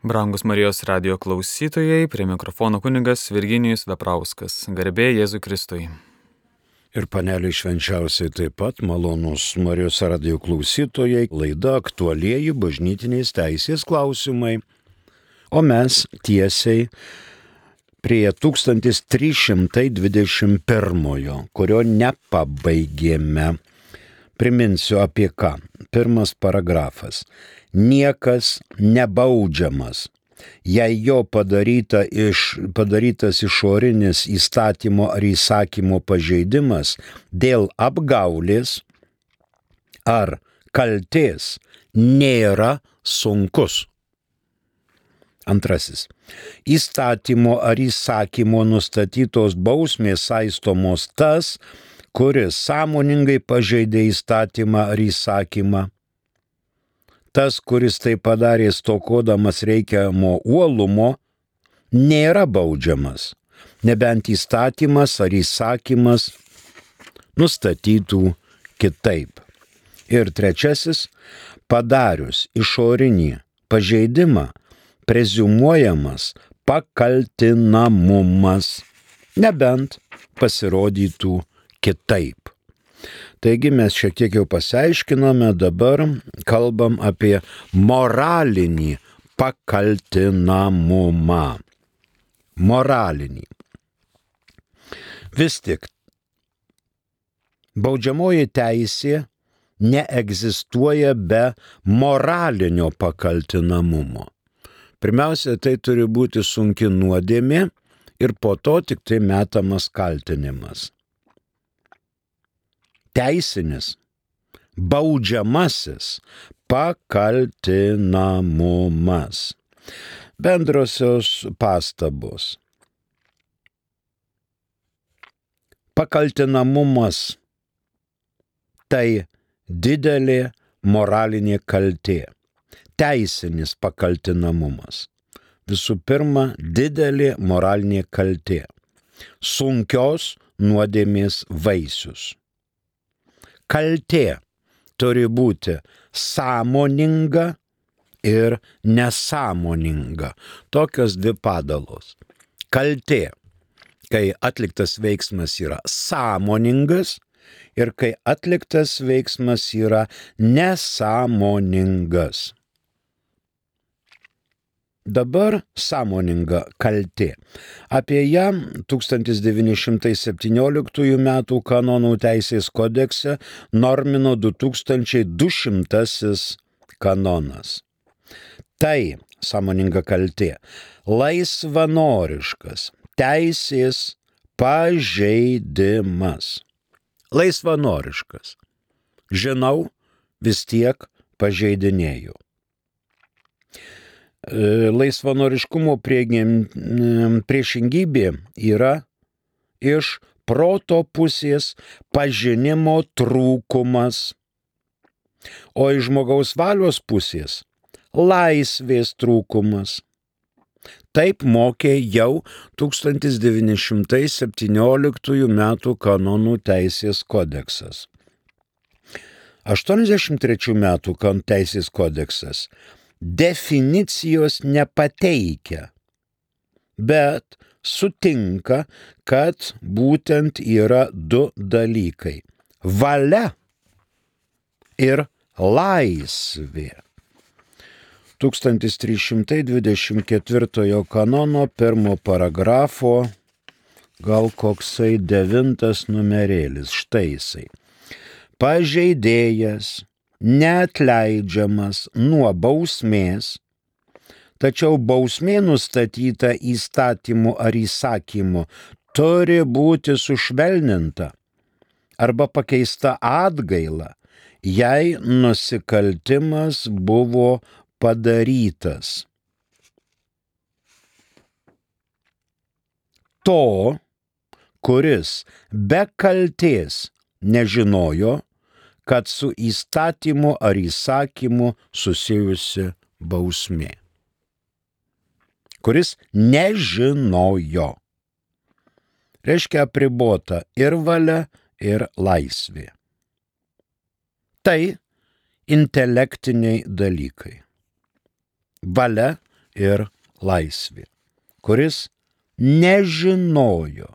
Brangus Marijos radijo klausytojai, prie mikrofono kunigas Virginijus Veprauskas. Garbė Jėzui Kristui. Ir paneliai švenčiausiai taip pat malonus Marijos radijo klausytojai, laida aktualieji bažnytinės teisės klausimai. O mes tiesiai prie 1321, kurio nepabaigėme. Priminsiu apie ką. Pirmas paragrafas. Niekas nebaudžiamas, jei jo padarytas išorinis įstatymo ar įsakymo pažeidimas dėl apgaulės ar kaltės nėra sunkus. Antrasis. Įstatymo ar įsakymo nustatytos bausmės saistomos tas, kuris sąmoningai pažeidė įstatymą ar įsakymą. Tas, kuris tai padarė stokodamas reikiamo uolumo, nėra baudžiamas, nebent įstatymas ar įsakymas nustatytų kitaip. Ir trečiasis, padarius išorinį pažeidimą, preziumuojamas pakaltinamumas, nebent pasirodytų kitaip. Taigi mes šiek tiek jau pasiaiškinome, dabar kalbam apie moralinį pakaltinamumą. Moralinį. Vis tik, baudžiamoji teisė neegzistuoja be moralinio pakaltinamumo. Pirmiausia, tai turi būti sunki nuodėmė ir po to tik tai metamas kaltinimas. Teisinis, baudžiamasis pakaltinamumas. Bendrosios pastabos. Pakaltinamumas tai didelė moralinė kaltė. Teisinis pakaltinamumas. Visų pirma, didelė moralinė kaltė. Sunkios nuodėmės vaisius. Kaltė turi būti sąmoninga ir nesąmoninga. Tokios dvi padalos. Kaltė, kai atliktas veiksmas yra sąmoningas ir kai atliktas veiksmas yra nesąmoningas. Dabar sąmoninga kaltė. Apie ją 1917 m. kanonų teisės kodekse normino 2200 kanonas. Tai sąmoninga kaltė. Laisvanoriškas teisės pažeidimas. Laisvanoriškas. Žinau, vis tiek pažeidinėju. Laisvanoriškumo priešingybė yra iš proto pusės pažinimo trūkumas, o iš žmogaus valios pusės laisvės trūkumas. Taip mokė jau 1917 m. kanonų teisės kodeksas. 83 m. kanonų teisės kodeksas definicijos nepateikia, bet sutinka, kad būtent yra du dalykai – valia ir laisvė. 1324 kanono 1 paragrafo, gal koksai 9 numerėlis, štai jisai. Pažeidėjas neatleidžiamas nuo bausmės, tačiau bausmė nustatyta įstatymu ar įsakymu turi būti sušvelninta arba pakeista atgaila, jei nusikaltimas buvo padarytas. To, kuris be kaltės nežinojo, kad su įstatymu ar įsakymu susijusi bausmė. Kuris nežinojo. Reiškia apribota ir valia, ir laisvė. Tai intelektiniai dalykai. Valia ir laisvė, kuris nežinojo,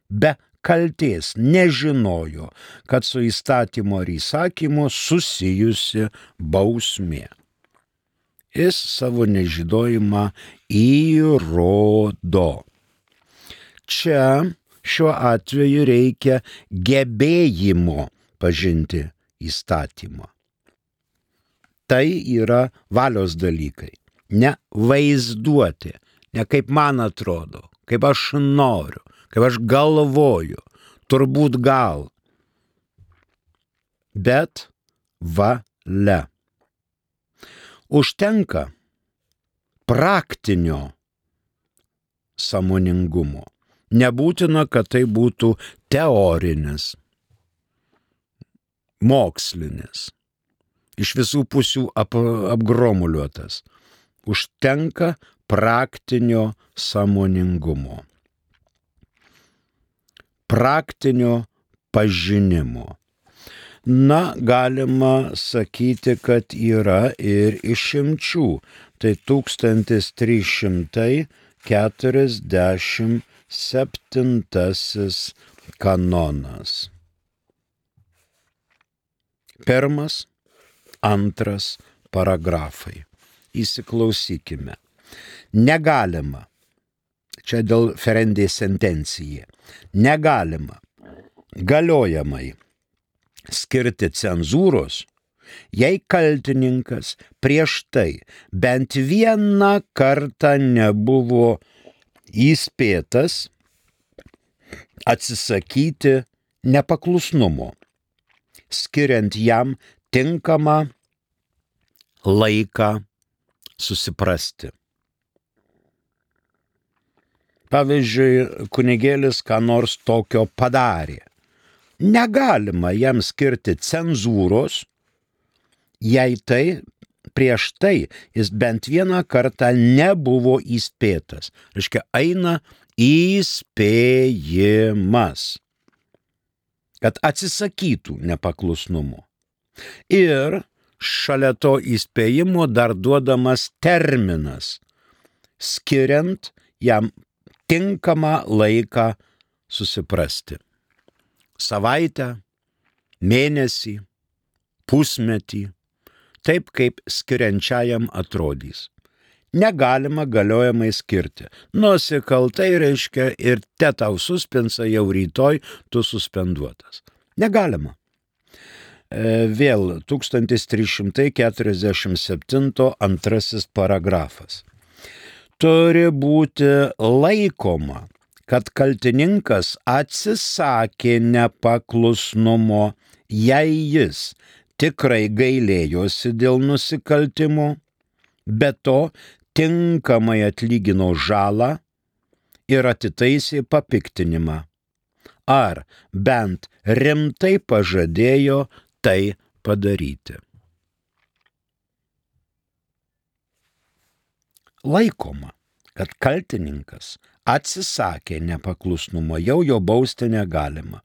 be kaltės nežinojo, kad su įstatymo ir įsakymu susijusi bausmė. Jis savo nežinojimą įrodo. Čia šiuo atveju reikia gebėjimo pažinti įstatymą. Tai yra valios dalykai, ne vaizduoti, ne kaip man atrodo, kaip aš noriu, kaip aš galvoju, turbūt gal, bet valia. Užtenka praktinio sąmoningumo. Nebūtina, kad tai būtų teorinis, mokslinis, iš visų pusių apgromuliuotas. Užtenka praktinio sąmoningumo, praktinio pažinimo. Na, galima sakyti, kad yra ir išimčių. Tai 1347 kanonas. Pirmas, antras paragrafai. Įsiklausykime. Negalima, čia dėl ferendė sentencija, negalima galiojamai skirti cenzūros, jei kaltininkas prieš tai bent vieną kartą nebuvo įspėtas atsisakyti nepaklusnumo, skiriant jam tinkamą laiką susiprasti. Pavyzdžiui, kunigėlis ką nors tokio padarė. Negalima jam skirti cenzūros, jei tai prieš tai jis bent vieną kartą nebuvo įspėtas. Reiškia, eina įspėjimas, kad atsisakytų nepaklusnumo. Ir šalia to įspėjimo dar duodamas terminas, skiriant jam tinkamą laiką susiprasti. Savaitę, mėnesį, pusmetį, taip kaip skiriančiajam atrodys. Negalima galiojamai skirti. Nusikaltai reiškia ir te tau suspensa, jau rytoj tu suspenduotas. Negalima. Vėl 1347 antrasis paragrafas. Turi būti laikoma, kad kaltininkas atsisakė nepaklusnumo, jei jis tikrai gailėjosi dėl nusikaltimo, be to tinkamai atlygino žalą ir atitaisė papiktinimą, ar bent rimtai pažadėjo tai padaryti. Laikoma, kad kaltininkas atsisakė nepaklusnumo, jau jo bausti negalima.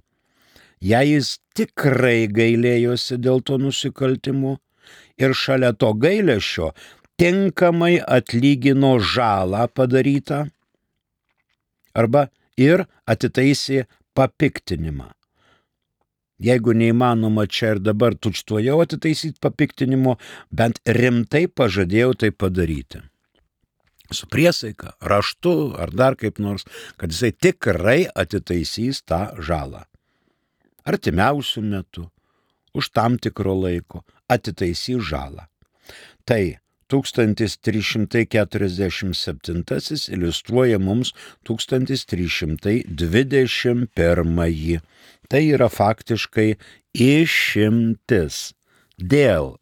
Jei jis tikrai gailėjosi dėl to nusikaltimo ir šalia to gailesčio tinkamai atlygino žalą padarytą arba ir atitaisė papiktinimą. Jeigu neįmanoma čia ir dabar tučtuojau atitaisyti papiktinimo, bent rimtai pažadėjau tai padaryti. Su priesaika, raštu ar dar kaip nors, kad jisai tikrai atitaisys tą žalą. Artimiausių metų, už tam tikro laiko atitaisys žalą. Tai 1347 iliustruoja mums 1321. Tai yra faktiškai išimtis dėl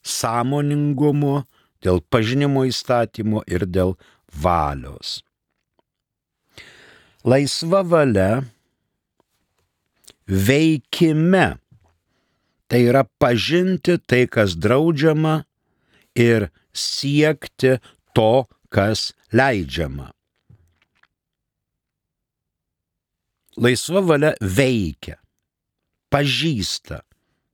sąmoningumo, dėl pažinimo įstatymo ir dėl valios. Laisva valia veikime, tai yra pažinti tai, kas draudžiama, ir siekti to, kas leidžiama. Laisva valia veikia, pažįsta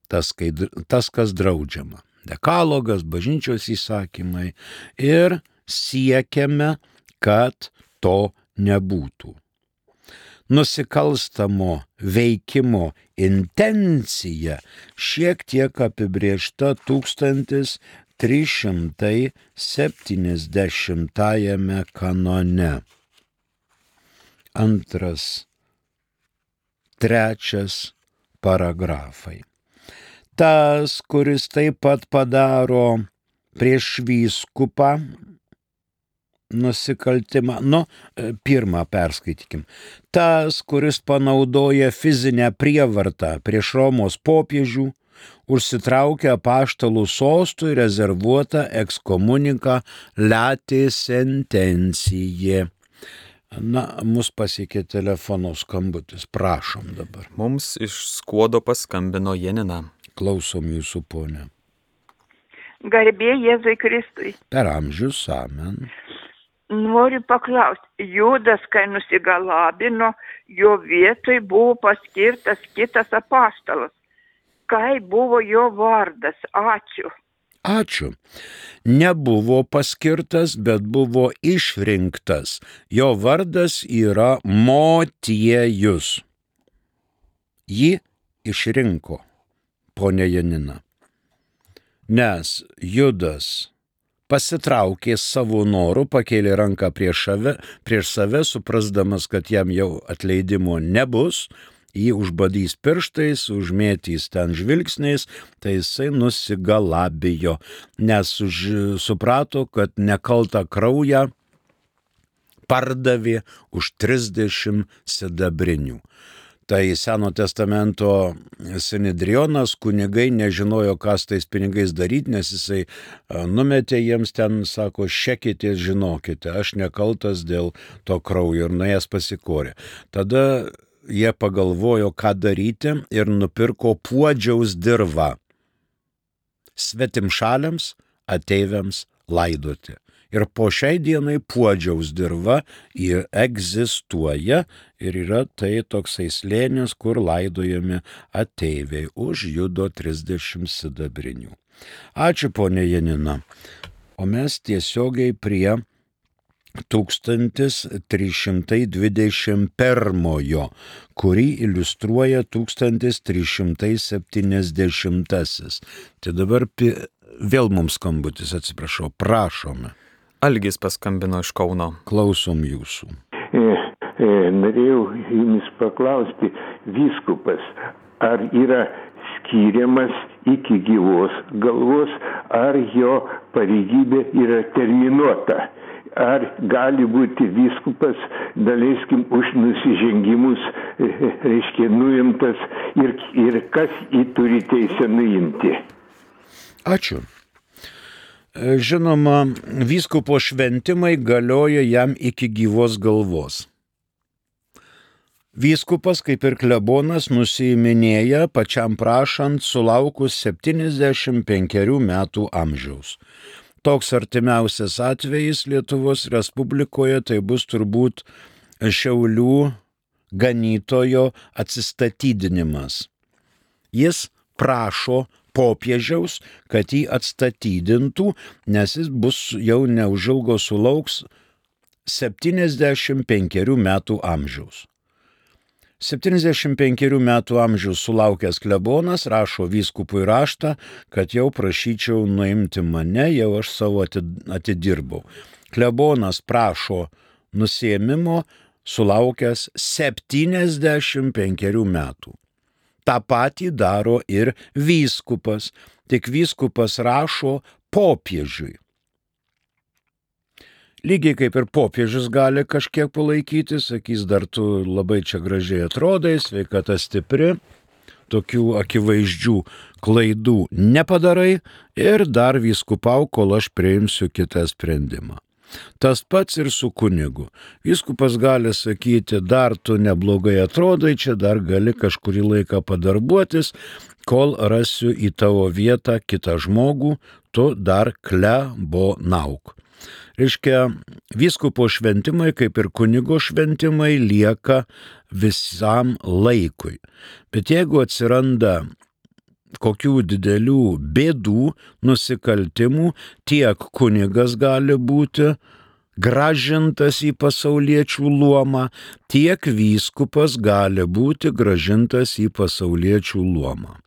tas, kas draudžiama. Dekalogas, bažnyčios įsakymai ir siekiame, kad to nebūtų. Nusikalstamo veikimo intencija šiek tiek apibrėžta 1370 kanone. 2, 3 paragrafai. Tas, kuris taip pat padaro prieš vyskupą nusikaltimą, pirmą perskaitykim. Tas, kuris panaudoja fizinę prievartą prieš Romos popiežių, užsitraukia apaštalų sostui rezervuotą ekskomuniką lati sentencijai. Mus pasiekė telefono skambutis. Prašom dabar. Mums iš Skuodo paskambino Janina. Klausom jūsų, ponė. Garbė Jėzui Kristui. Per amžius, amen. Noriu paklausti, Judas, kai nusigalabino, jo vietoj buvo paskirtas kitas apaštalas. Kai buvo jo vardas? Ačiū. Ačiū. Nebuvo paskirtas, bet buvo išrinktas. Jo vardas yra Motiejus. Jį išrinko, ponė Janina. Nes Judas pasitraukė savo norų, pakėlė ranką prieš save, suprasdamas, kad jam jau atleidimo nebus, jį užbadys pirštais, užmėtys ten žvilgsniais, tai jisai nusigalabijo, nes suprato, kad nekaltą kraują pardavė už 30 sidabrinių. Tai Seno testamento Sinedrionas, kunigai nežinojo, ką su tais pinigais daryti, nes jisai numetė jiems ten, sako, šekitės, žinokite, aš nekaltas dėl to kraujo, ir nuėjęs pasikorė. Tada jie pagalvojo, ką daryti, ir nupirko puodžiaus dirvą svetimšaliams ateiviams laidoti. Ir po šiai dienai puodžiaus dirva egzistuoja ir yra tai toksai slėnis, kur laidojami ateiviai už judo 30 sidabrinių. Ačiū, ponė Janina. O mes tiesiogiai prie 1321, kurį iliustruoja 1370. Tai dabar vėl mums skambutis, atsiprašau, prašome. Algis paskambino iš Kauno. Klausom jūsų. Norėjau jumis paklausti, vyskupas, ar yra skiriamas iki gyvos galvos, ar jo pareigybė yra terminuota? Ar gali būti vyskupas, daleiskim, už nusižengimus, nuimtas ir kas jį turi teisę nuimti? Ačiū. Žinoma, vyskupo šventimai galioja jam iki gyvos galvos. Vyskupas, kaip ir klebonas, nusiiminėja pačiam prašant sulaukus 75 metų amžiaus. Toks artimiausias atvejis Lietuvos Respublikoje tai bus turbūt Šiaulių ganytojo atsistatydinimas. Jis prašo popiežiaus, kad jį atstatydintų, nes jis bus jau neužilgo sulauks 75 metų amžiaus. 75 metų amžiaus sulaukęs klebonas rašo vyskupui raštą, kad jau prašyčiau nuimti mane, jau aš savo atidirbau. Klebonas prašo nusiėmimo sulaukęs 75 metų. Ta patį daro ir vyskupas, tik vyskupas rašo popiežiui. Lygiai kaip ir popiežius gali kažkiek palaikyti, sakys, dar tu labai čia gražiai atrodai, sveikata stipri, tokių akivaizdžių klaidų nepadarai ir dar vyskupau, kol aš priimsiu kitą sprendimą. Tas pats ir su kunigu. Vyskupas gali sakyti, dar tu neblogai atrodai, čia dar gali kažkurį laiką padarbuotis, kol rasiu į tavo vietą kitą žmogų, tu dar klebonauk. Reiškia, vyskupo šventimai, kaip ir kunigo šventimai, lieka visam laikui. Bet jeigu atsiranda kokių didelių bėdų, nusikaltimų, tiek kunigas gali būti grąžintas į pasauliečių luomą, tiek vyskupas gali būti grąžintas į pasauliečių luomą.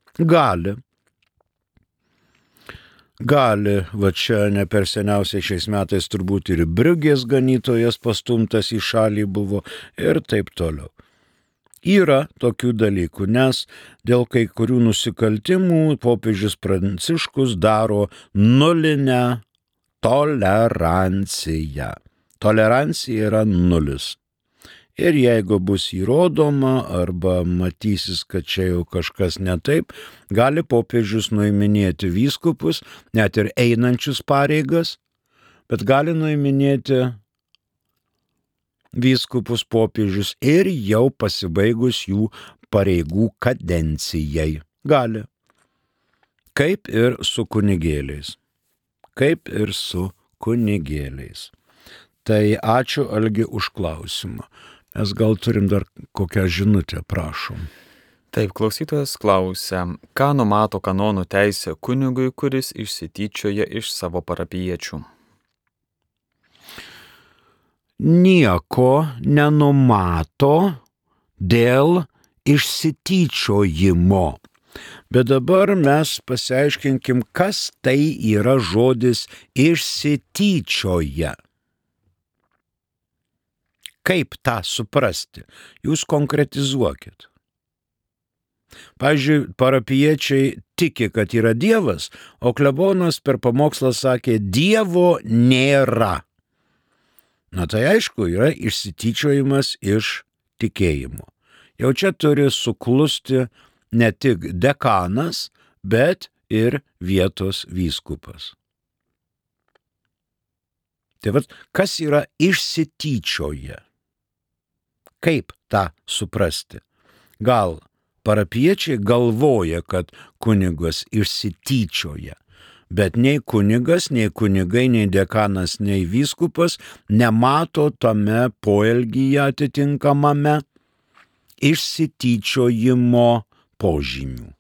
Gali, va čia ne per seniausiai šiais metais turbūt ir Briugės ganytojas pastumtas į šalį buvo ir taip toliau. Yra tokių dalykų, nes dėl kai kurių nusikaltimų popiežius Pranciškus daro nulinę toleranciją. Tolerancija yra nulis. Ir jeigu bus įrodoma arba matysis, kad čia jau kažkas ne taip, gali popiežius nuiminėti vyskupus, net ir einančius pareigas, bet gali nuiminėti vyskupus popiežius ir jau pasibaigus jų pareigų kadencijai. Gali. Kaip ir su kunigėliais. Tai ačiū, Algi, už klausimą. Mes gal turim dar kokią žinutę, prašom. Taip, klausytojas klausia, ką numato kanonų teisė kunigui, kuris išsityčioja iš savo parapijiečių? Nieko nenumato dėl išsityčiojimo. Bet dabar mes pasiaiškinkim, kas tai yra žodis išsityčioja. Kaip tą suprasti? Jūs konkretizuokit. Pavyzdžiui, parapijiečiai tiki, kad yra Dievas, o klebonas per pamokslą sakė, Dievo nėra. Na tai aišku, yra išsityčiojimas iš tikėjimo. Jau čia turi suklusti ne tik dekanas, bet ir vietos vyskupas. Tai vat, kas yra išsityčioja? Kaip tą suprasti? Gal parapiečiai galvoja, kad kunigas išsityčioja, bet nei kunigas, nei kunigai, nei dekanas, nei vyskupas nemato tame poelgyje atitinkamame išsityčiojimo požymių.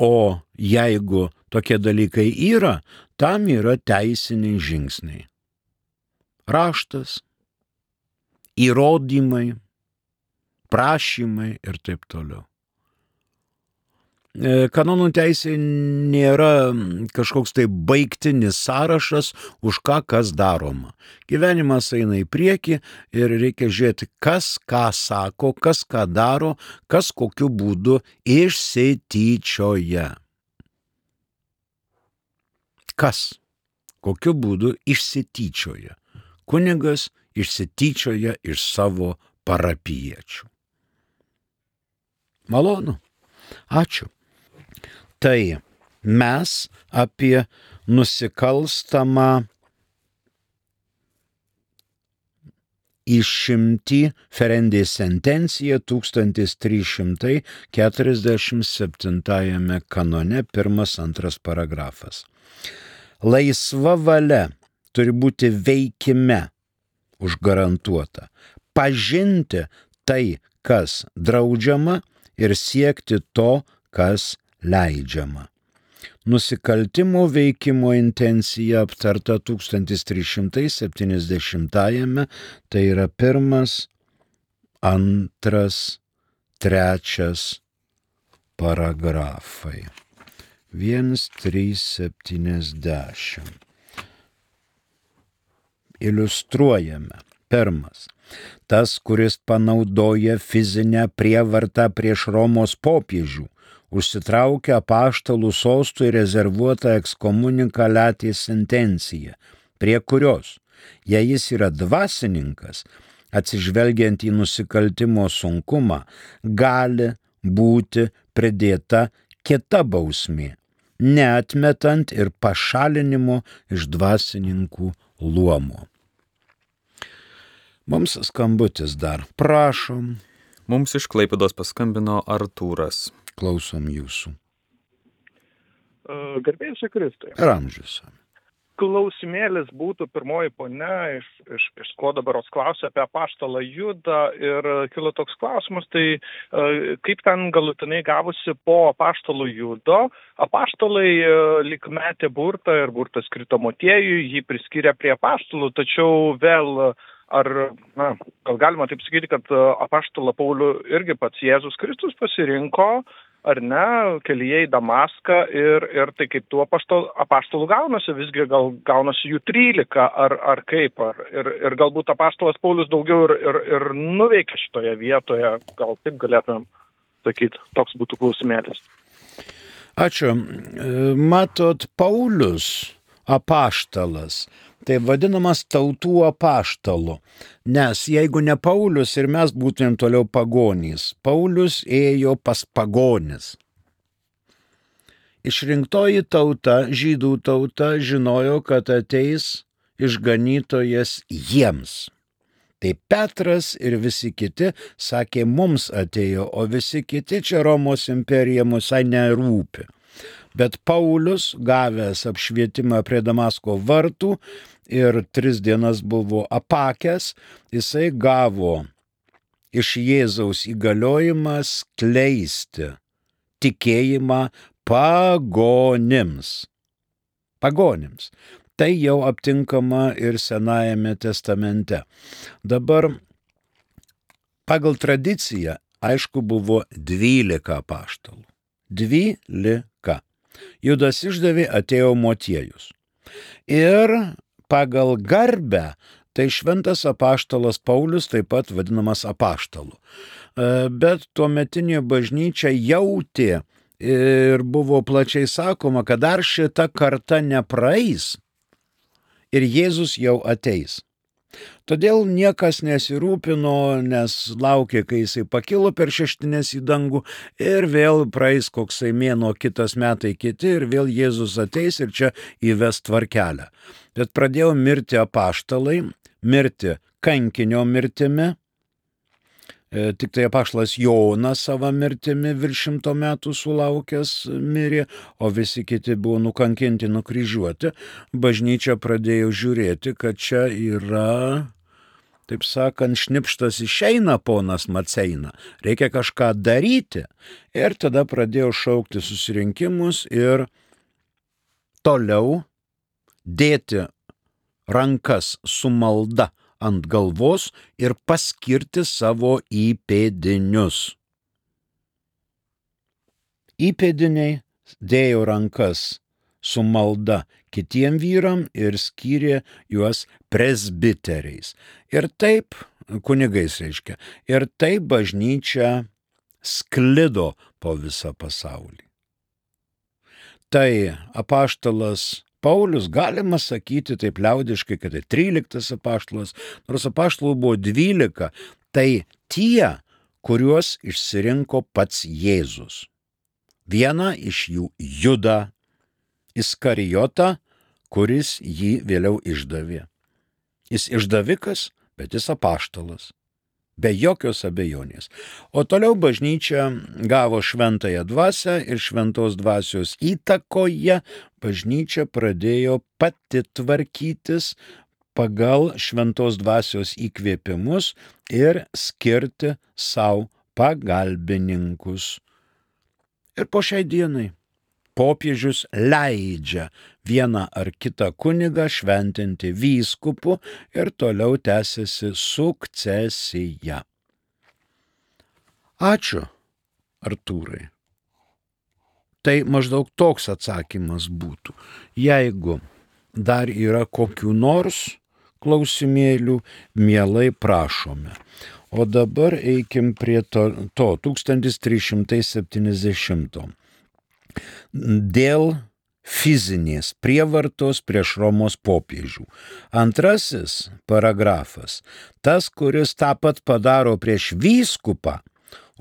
O jeigu tokie dalykai yra, tam yra teisiniai žingsniai. Raštas, įrodymai, prašymai ir taip toliau. Kanonų teisė nėra kažkoks tai baigtinis sąrašas, už ką kas daroma. Gyvenimas eina į priekį ir reikia žiūrėti, kas ką sako, kas ką daro, kas kokiu būdu išsityčioja. Kas kokiu būdu išsityčioja? Kunigas išsityčioja iš savo parapijiečių. Malonu. Ačiū. Tai mes apie nusikalstamą išimtį Ferendės sentenciją 1347 kanone 1-2 paragrafas. Laisva valia turi būti veikime užgarantuota. Pažinti tai, kas draudžiama ir siekti to, kas leidžiama. Nusikaltimo veikimo intencija aptarta 1370, tai yra 1, 2, 3 paragrafai. 1.3.70. Iliustruojame. 1. Tas, kuris panaudoja fizinę prievartą prieš Romos popiežių, užsitraukia apaštalų sostui rezervuotą ekskomunikaliatės sentenciją, prie kurios, jei jis yra dvasininkas, atsižvelgiant į nusikaltimo sunkumą, gali būti pridėta kita bausmė, neatmetant ir pašalinimo iš dvasininkų luomo. Mums skambutis dar. Prašom. Mums iš Klaipėdos paskambino Artūras. Klausom jūsų. Garbėsiu Kristui. Ir amžiuose. klausimėlis būtų pirmoji ponia iš Skuodo berods klausė apie apaštalą Judą ir kilo toks klausimas, tai kaip ten galutinai gavosi po apaštalų Judo. Apaštalai lyg metė burtą ir burtas krito Motiejui, jį priskyrė prie apaštalų, tačiau vėl gal galima taip sakyti, kad apaštalą Paulių irgi pats Jėzus Kristus pasirinko, ar ne, kelyje į Damaską ir tai kaip tų apaštalų gaunasi, visgi gal gaunasi jų 13 ar kaip, ir galbūt apaštalas Paulius daugiau ir nuveikia šitoje vietoje, gal taip galėtumėm sakyti, toks būtų klausimėlis. Ačiū. Matot, Paulius apaštalas, tai vadinamas tautų apaštalu, nes jeigu ne Paulius ir mes būtumėm toliau pagonys, Paulius ėjo pas pagonis. Išrinktoji tauta, žydų tauta, žinojo, kad ateis išganytojas jiems. Tai Petras ir visi kiti sakė, mums atėjo, o visi kiti čia Romos imperija musai nerūpi. Bet Paulius, gavęs apšvietimą prie Damasko vartų ir 3 dienas buvo apakęs, jisai gavo iš Jėzaus įgaliojimą skleisti tikėjimą pagonims. Pagonims. Tai jau aptinkama ir Senajame testamente. Dabar pagal tradiciją, aišku, buvo 12 apaštalų. 12. Judas išdavė, atėjo Motiejus. Ir pagal garbę, tai šventas apaštalas Paulius taip pat vadinamas apaštalu. Bet tuometinė bažnyčia jautė ir buvo plačiai sakoma, kad dar šita karta nepraeis ir Jėzus jau ateis. Todėl niekas nesirūpino, nes laukė, kai jisai pakilo per šeštinės į dangų ir vėl praeis koksai mėnuo, kitas metai kiti ir vėl Jėzus ateis ir čia įves tvarkelę. Bet pradėjo mirti apaštalai, mirti kankinio mirtimi. Tik tai apaštalas Jonas savo mirtimi virš 100 metų sulaukęs mirė, o visi kiti buvo nukankinti, nukryžiuoti. Bažnyčia pradėjo žiūrėti, kad čia yra, taip sakant, šnipštas išeina ponas Maceina. Reikia kažką daryti. Ir tada pradėjo šaukti susirinkimus ir toliau dėti rankas su malda ant galvos ir paskirti savo įpėdinius. Įpėdiniai dėjo rankas su malda kitiem vyram ir skyrė juos presbiteriais. Ir taip, kunigais reiškia, ir taip bažnyčia sklido po visą pasaulį. Tai apaštalas Paulius, galima sakyti taip liaudiškai, kad tai 13 apaštalas, nors apaštalų buvo 12, tai tie, kuriuos išsirinko pats Jėzus. Vieną iš jų Judą Iskarijotą, kuris jį vėliau išdavė. Jis išdavikas, bet jis apaštalas. Be jokios abejonės. O toliau bažnyčia gavo šventąją dvasią ir šventos dvasios įtakoje bažnyčia pradėjo pati tvarkytis pagal šventos dvasios įkvėpimus ir skirti savo pagalbininkus. Ir po šiai dienai popiežius leidžia vieną ar kitą kunigą šventinti vyskupu ir toliau tęsiasi sukcesija. Ačiū, Artūrai. Tai maždaug toks atsakymas būtų. Jeigu dar yra kokių nors klausimėlių, mielai prašome. O dabar eikim prie to 1370. Dėl fizinės prievartos prieš Romos popiežių. Antrasis paragrafas. Tas, kuris tą pat padaro prieš vyskupą,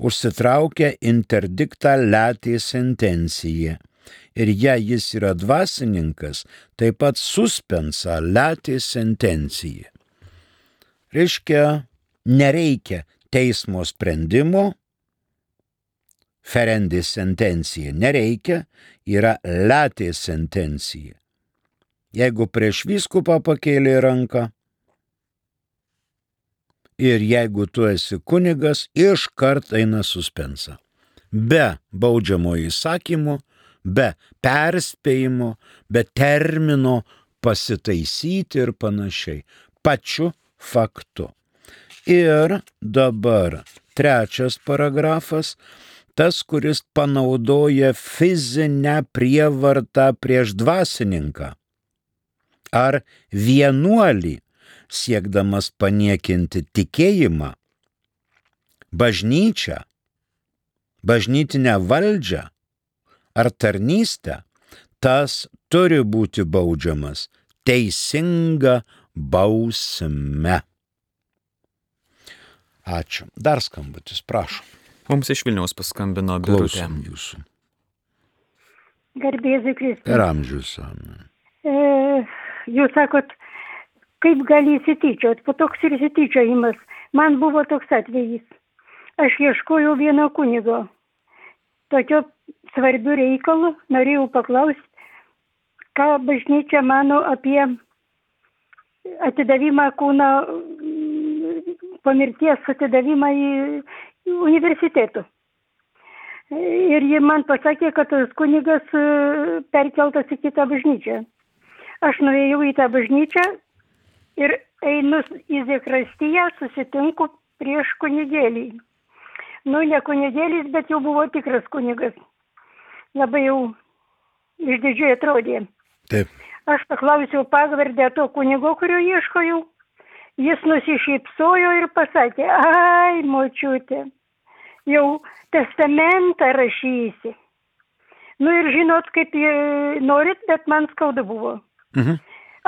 užsitraukia interdiktą letė sentenciją. Ir jei jis yra dvasininkas, taip pat suspensa letė sentencija. Reiškia, nereikia teismo sprendimo, ferendis sentencija nereikia, yra letė sentencija. Jeigu prieš vyskupą pakėlė ranką ir jeigu tu esi kunigas, iškart eina suspensa. Be baudžiamojo įsakymo, be perspėjimo, be termino pasitaisyti ir panašiai. Pačiu faktu. Ir dabar 3 paragrafas, tas, kuris panaudoja fizinę prievartą prieš dvasininką ar vienuolį, siekdamas paniekinti tikėjimą, bažnyčią, bažnytinę valdžią ar tarnystę, tas turi būti baudžiamas teisinga bausme. Ačiū. Dar skambutis, prašom. Mums iš Vilniaus paskambino Birutė. Klausom jūsų. Garbėzui Kristui. Per amžius. Jūs sakot, kaip gali įsityčiot, po toks ir įsityčiojimas. Man buvo toks atvejis. Aš ieškojau vieno kunigo. Tokio svarbių reikalų norėjau paklausti, ką bažnyčia mano apie atidavimą kūno, po mirties atidavimą į universitetų. Ir ji man pasakė, kad tas kunigas perkeltas į kitą bažnyčią. Aš nuėjau į tą bažnyčią ir einu į zakrastiją, susitinku prieš kunigėlį. Nu, ne kunigėlis, bet jau buvo tikras kunigas. Labai jau išdidžiai atrodė. Taip. Aš paklausiau pavardę to kunigo, kurio ieškojau. Jis nusišypsojo ir pasakė, ai, močiutė, jau testamentą rašysi. Nu ir žinot, kaip norit, bet man skauda buvo.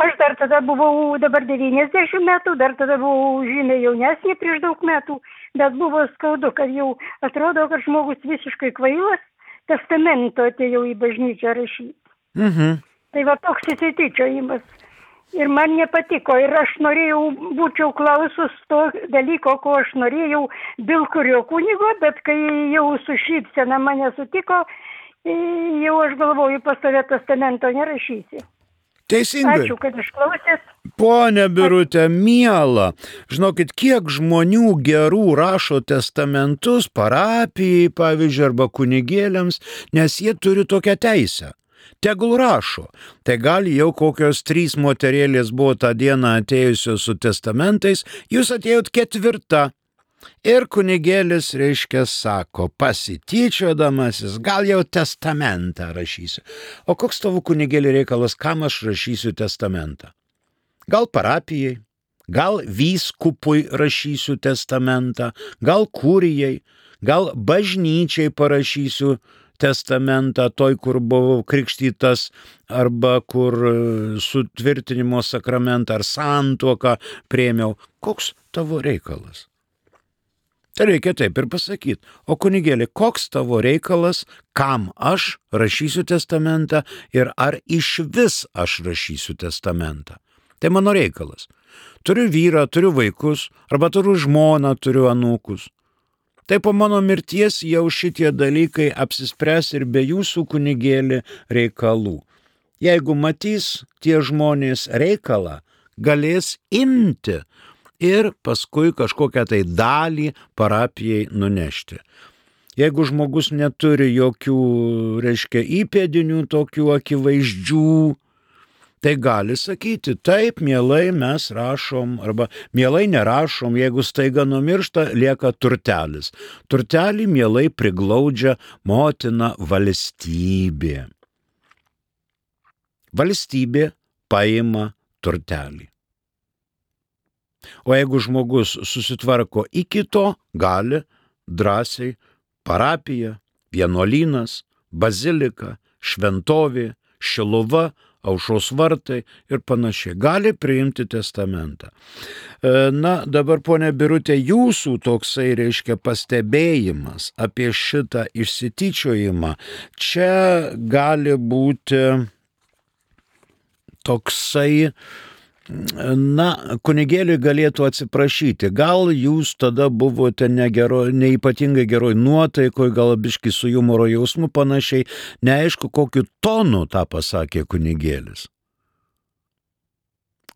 Aš dar tada buvau, dabar 90 metų, dar tada buvau žymiai jaunesnė prieš daug metų, bet buvo skaudu, kad jau atrodo, kad žmogus visiškai kvailas, testamento atėjau į bažnyčią rašyti. Tai va toks įsityčiojimas. Ir man nepatiko. Ir aš norėjau, būčiau klausus to dalyko, ko aš norėjau, dėl kurio kunigo, bet kai jau su šypsena mane sutiko, jau aš galvoju, pas tave testamento nerašysi. Teisingai. Ačiū, kad išklausėt. Pone Birutė, miela, žinokit, kiek žmonių gerų rašo testamentus parapijai, pavyzdžiui, arba kunigėliams, nes jie turi tokią teisę. Tegul rašo. Tai gal jau kokios 3 moterėlės buvo tą dieną atėjusios su testamentais, jūs atėjot 4. Ir kunigėlis, reiškia, sako, pasityčiodamasis, gal jau testamentą rašysiu. O koks tavo kunigėlį reikalas, kam aš rašysiu testamentą? Gal parapijai, gal vyskupui rašysiu testamentą, gal kurijai, gal bažnyčiai parašysiu testamentą, toj, kur buvau krikštytas, arba kur sutvirtinimo sakramentą ar santuoką priėmiau. Koks tavo reikalas? Tai reikia taip ir pasakyti. O kunigėli, koks tavo reikalas, kam aš rašysiu testamentą ir ar iš vis aš rašysiu testamentą? Tai mano reikalas. Turiu vyrą, turiu vaikus, arba turiu žmoną, turiu anūkus. Tai po mano mirties jau šitie dalykai apsispręs ir be jūsų kunigėlį reikalų. Jeigu matys tie žmonės reikalą, galės imti ir paskui kažkokią tai dalį parapijai nunešti. Jeigu žmogus neturi jokių, reiškia, įpėdinių tokių akivaizdžių, tai gali sakyti, taip, mielai mes rašom, arba mielai nerašom, jeigu staiga numiršta, lieka turtelis. Turtelį mielai priglaudžia motina valstybė. Valstybė paima turtelį. O jeigu žmogus susitvarko iki to, gali drąsiai parapija, vienuolynas, bazilika, šventovė, šiluva, Aušros vartai ir panašiai. Gali priimti testamentą. Na, dabar, ponia Birutė, jūsų toksai, reiškia, pastebėjimas apie šitą išsityčiojimą, čia gali būti toksai, na, kunigėliui galėtų atsiprašyti. Gal jūs tada buvote neypatingai geroj nuotaikoj, gal biški su humoro jausmu panašiai, neaišku, kokiu tonu tą pasakė kunigėlis.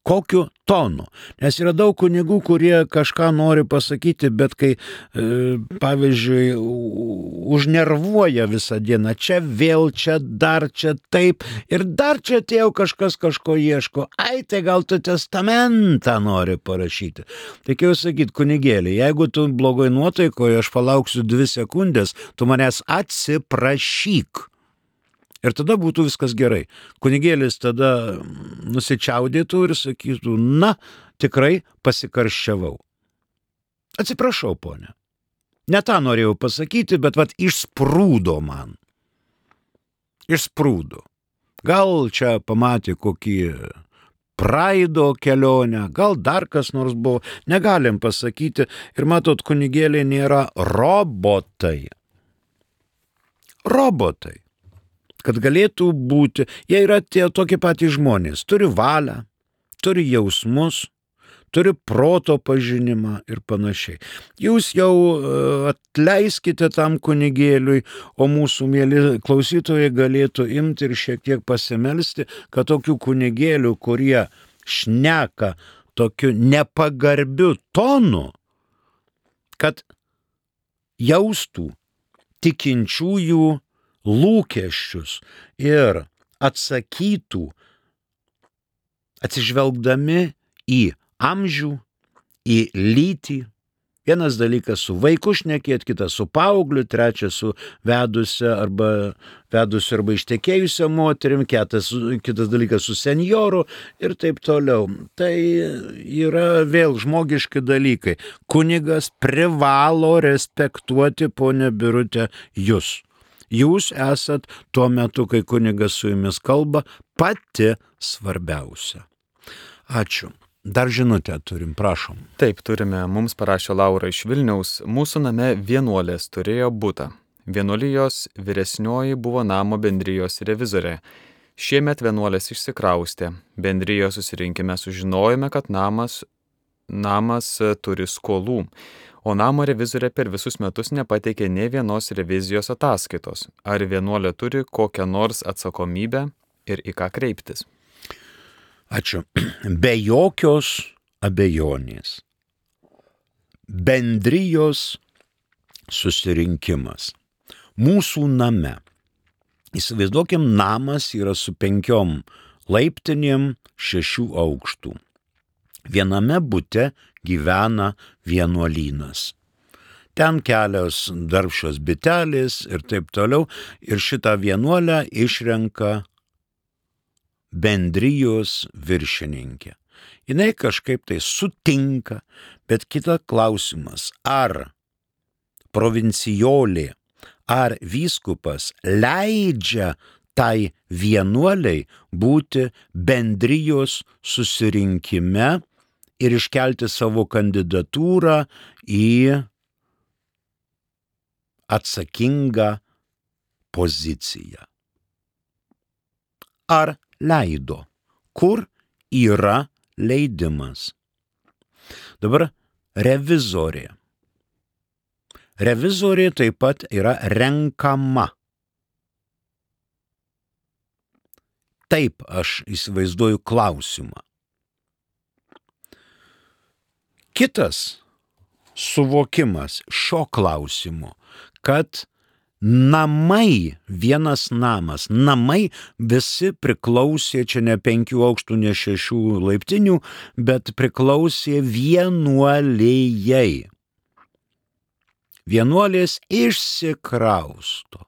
Kokiu tonu? Nes yra daug kunigų, kurie kažką nori pasakyti, bet kai, pavyzdžiui, užnervuoja visą dieną, čia vėl, čia dar, čia taip, ir dar čia atėjo kažkas kažko ieško, tai gal tu testamentą nori parašyti. Reikėjo sakyti, kunigėlį, jeigu tu blogoj nuotaikoje, aš palauksiu 2 sekundės, tu manęs atsiprašyk. Ir tada būtų viskas gerai. Kunigėlis tada nusičiaudėtų ir sakytų, na, tikrai pasikarščiavau. Atsiprašau, ponė. Ne tą norėjau pasakyti, bet išsprūdo man. Išsprūdo. Gal čia pamatė kokį praido kelionę, gal dar kas nors buvo, negalim pasakyti. Ir matot, kunigėliai nėra robotai. Robotai. Kad galėtų būti, jie yra tie tokie patys žmonės, turi valią, turi jausmus, turi proto pažinimą ir panašiai. Jūs jau atleiskite tam kunigėliui, o mūsų mėly klausytojai galėtų imti ir šiek tiek pasimelsti, kad tokių kunigėlių, kurie šneka tokiu nepagarbiu tonu, kad jaustų tikinčiųjų lūkesčius ir atsakytų atsižvelgdami į amžių, į lytį. Vienas dalykas su vaiku šnekėt, kitas su paaugliu, trečias su vedusia arba ištekėjusia moterim, kitas dalykas su senjoru ir taip toliau. Tai yra vėl žmogiški dalykai. Kunigas privalo respektuoti, ponia Birute, jūs. Jūs esat tuo metu, kai kunigas su jumis kalba, pati svarbiausia. Ačiū. Dar žinutę turim, prašom. Taip, turime. Mums parašė Laura iš Vilniaus. Mūsų name vienuolės turėjo butą. Vienuolijos vyresnioji buvo namo bendrijos revizorė. Šiemet vienuolės išsikraustė. Bendrijos susirinkime sužinojome, kad namas turi skolų. O namo revizorė per visus metus nepateikė nė vienos revizijos ataskaitos. Ar vienuolė turi kokią nors atsakomybę ir į ką kreiptis? Ačiū. Be jokios abejonės. Bendrijos susirinkimas. Mūsų name. Įsivaizduokim, namas yra su 5 laiptinėm 6 aukštų. Viename bute gyvena vienuolynas. Ten kelios darbščios bitelės ir taip toliau. Ir šitą vienuolę išrenka bendrijos viršininkė. Jinai kažkaip tai sutinka, bet kita klausimas, ar provincijolė, ar vyskupas leidžia tai vienuoliai būti bendrijos susirinkime ir iškelti savo kandidatūrą į atsakingą poziciją. Ar leido? Kur yra leidimas? Dabar revizorė. Revizorė taip pat yra renkama. Taip aš įsivaizduoju klausimą. Kitas suvokimas šio klausimo, kad vienas namas, namai visi priklausė, čia ne 5 aukštų, ne 6 laiptinių, bet priklausė vienuolėjai. Vienuolės išsikrausto.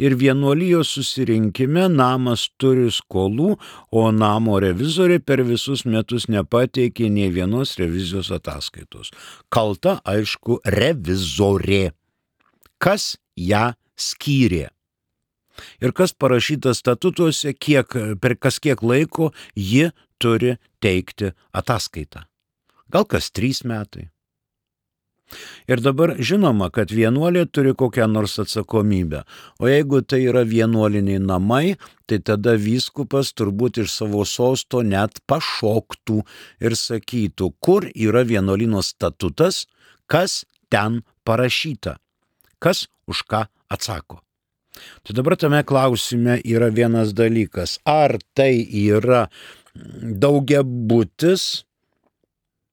Ir vienuolijos susirinkime namas turi skolų, o namo revizorė per visus metus nepateikė nei vienos revizijos ataskaitos. Kalta, aišku, revizorė. Kas ją skyrė? Ir kas parašyta statutuose, per kiek laiko ji turi teikti ataskaitą. Gal kas 3 metai. Ir dabar žinoma, kad vienuolė turi kokią nors atsakomybę. O jeigu tai yra vienuoliniai namai, tai tada vyskupas turbūt iš savo sosto net pašoktų ir sakytų, kur yra vienuolino statutas, kas ten parašyta, kas už ką atsako. Tai dabar tame klausime yra vienas dalykas, ar tai yra daugiabutis,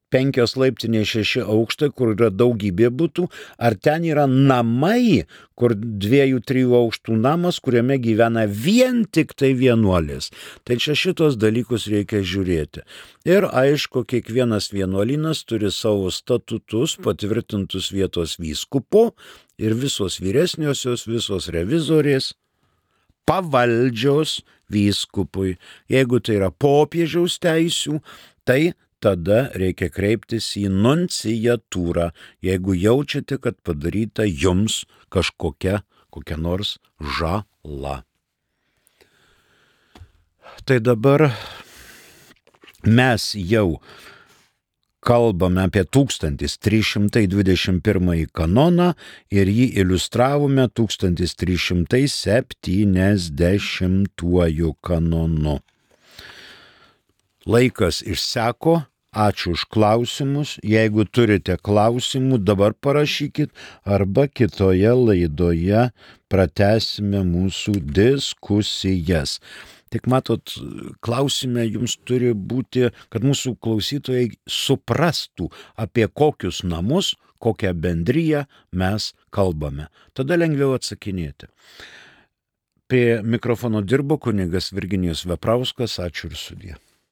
5 laiptiniai 6 aukštai, kur yra daugybė butų, ar ten yra namai, kur 2-3 aukštų namas, kuriame gyvena vien tik tai vienuolės. Tai čia šitos dalykus reikia žiūrėti. Ir aišku, kiekvienas vienuolynas turi savo statutus, patvirtintus vietos vyskupo, ir visos vyresniosios, visos revizorės pavaldžios vyskupui. Jeigu tai yra popiežiaus teisių, tai tada reikia kreiptis į nunciatūrą, jeigu jaučiate, kad padaryta jums kokia nors žala. Tai dabar mes jau kalbame apie 1321 kanoną ir jį iliustravome 1370 kanonu. Laikas išseko, ačiū už klausimus. Jeigu turite klausimų, dabar parašykit arba kitoje laidoje pratęsime mūsų diskusijas. Tik matot, klausime jums turi būti, kad mūsų klausytojai suprastų, apie kokius namus, kokią bendriją mes kalbame. Tada lengviau atsakinėti. Prie mikrofono dirbo kunigas Virginijus Veprauskas. Ačiū ir sudie.